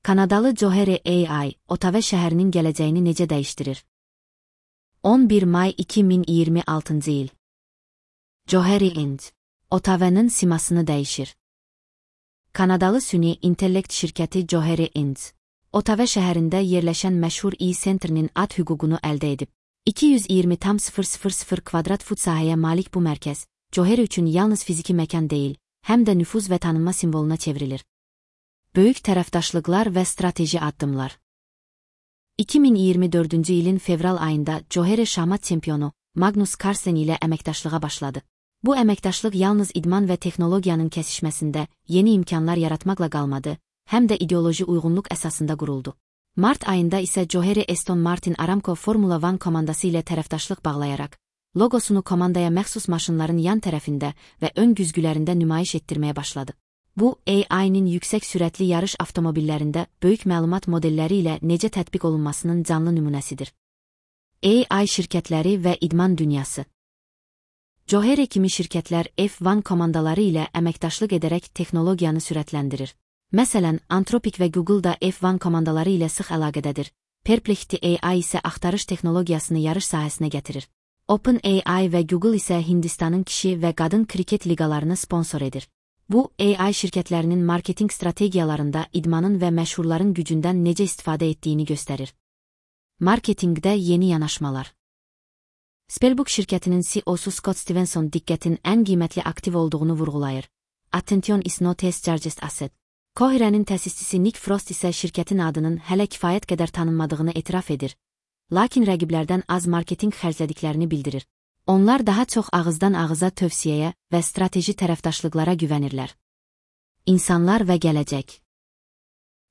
Kanadalı Johari AI, Ottawa şəhərinin gələcəyini necə dəyişdirir? 11 may 2026 il. Johari AI, Ottawa'nın simasını dəyişir. Kanadalı süni intellekt şirkəti Johari AI, Ottawa şəhərində yerləşən məşhur e-Center'nin ad hüququnu əldə edib. 220,000 kvadrat fut sahəyə malik bu mərkəz, Johari üçün yalnız fiziki məkan deyil, həm də nüfuz və tanınma simvoluna çevrilir. Böyük tərəfdaşlıqlar və strateji addımlar. 2024-cü ilin fevral ayında Johari şahmat çempionu Magnus Carlsen ilə əməkdaşlığa başladı. Bu əməkdaşlıq yalnız idman və texnologiyanın kəsişməsində yeni imkanlar yaratmaqla qalmadı, həm də ideoloji uyğunluq əsasında quruldu. Mart ayında isə Johari Aston Martin Aramco Formula 1 komandası ilə tərəfdaşlıq bağlayaraq, logosunu komandaya məxsus maşınların yan tərəfində və ön güzgülərində nümayiş etdirməyə başladı. Bu, AI-nin yüksək sürətli yarış avtomobillərində böyük məlumat modelləri ilə necə tətbiq olunmasının canlı nümunəsidir. AI şirkətləri və idman dünyası. Johari kimi şirkətlər F1 komandaları ilə əməkdaşlıq edərək texnologiyanı sürətləndirir. Məsələn, Anthropic və Google da F1 komandaları ilə sıx əlaqədədir. Perplexity AI isə axtarış texnologiyasını yarış sahəsinə gətirir. OpenAI və Google isə Hindistanın kişi və qadın kriket liqalarını sponsor edir. Bu, AI şirkətlərinin marketinq strategiyalarında idmanın və məşhurların gücündən necə istifadə etdiyini göstərir. Marketinqdə yeni yanaşmalar. Spellbook şirkətinin CEO-su Scott Stevenson diqqətin ən qiymətli aktiv olduğunu vurğulayır. Attention is not a largest asset. Cohere'nin təsisçisi Nick Frost isə şirkətin adının hələ kifayət qədər tanınmadığını etiraf edir, lakin rəqiblərdən az marketinq xərclədiklərini bildirir. Onlar daha çox ağızdan ağıza tövsiyəyə və strateji tərəfdaşlıqlara güvənirlər. İnsanlar və gələcək.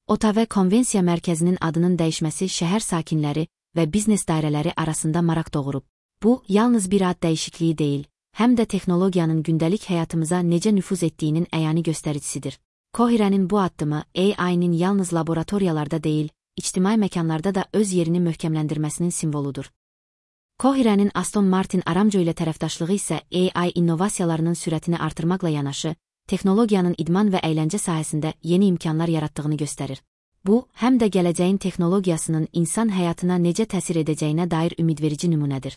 Ottawa Konvensiya Mərkəzinin adının dəyişməsi şəhər sakinləri və biznes dairələri arasında maraq doğurub. Bu, yalnız bir ad dəyişikliyi deyil, həm də texnologiyanın gündəlik həyatımıza necə nüfuz etdiyinin əyani göstəricisidir. Cohere'nin bu addımı AI-nin yalnız laboratoriyalarda deyil, ictimai məkanlarda da öz yerini möhkəmləndirməsinin simvoludur. Cohere'nin Aston Martin Aramco ilə tərəfdaşlığı isə AI innovasiyalarının sürətini artırmaqla yanaşı, texnologiyanın idman və əyləncə sahəsində yeni imkanlar yaratdığını göstərir. Bu, həm də gələcəyin texnologiyasının insan həyatına necə təsir edəcəyinə dair ümidverici nümunədir.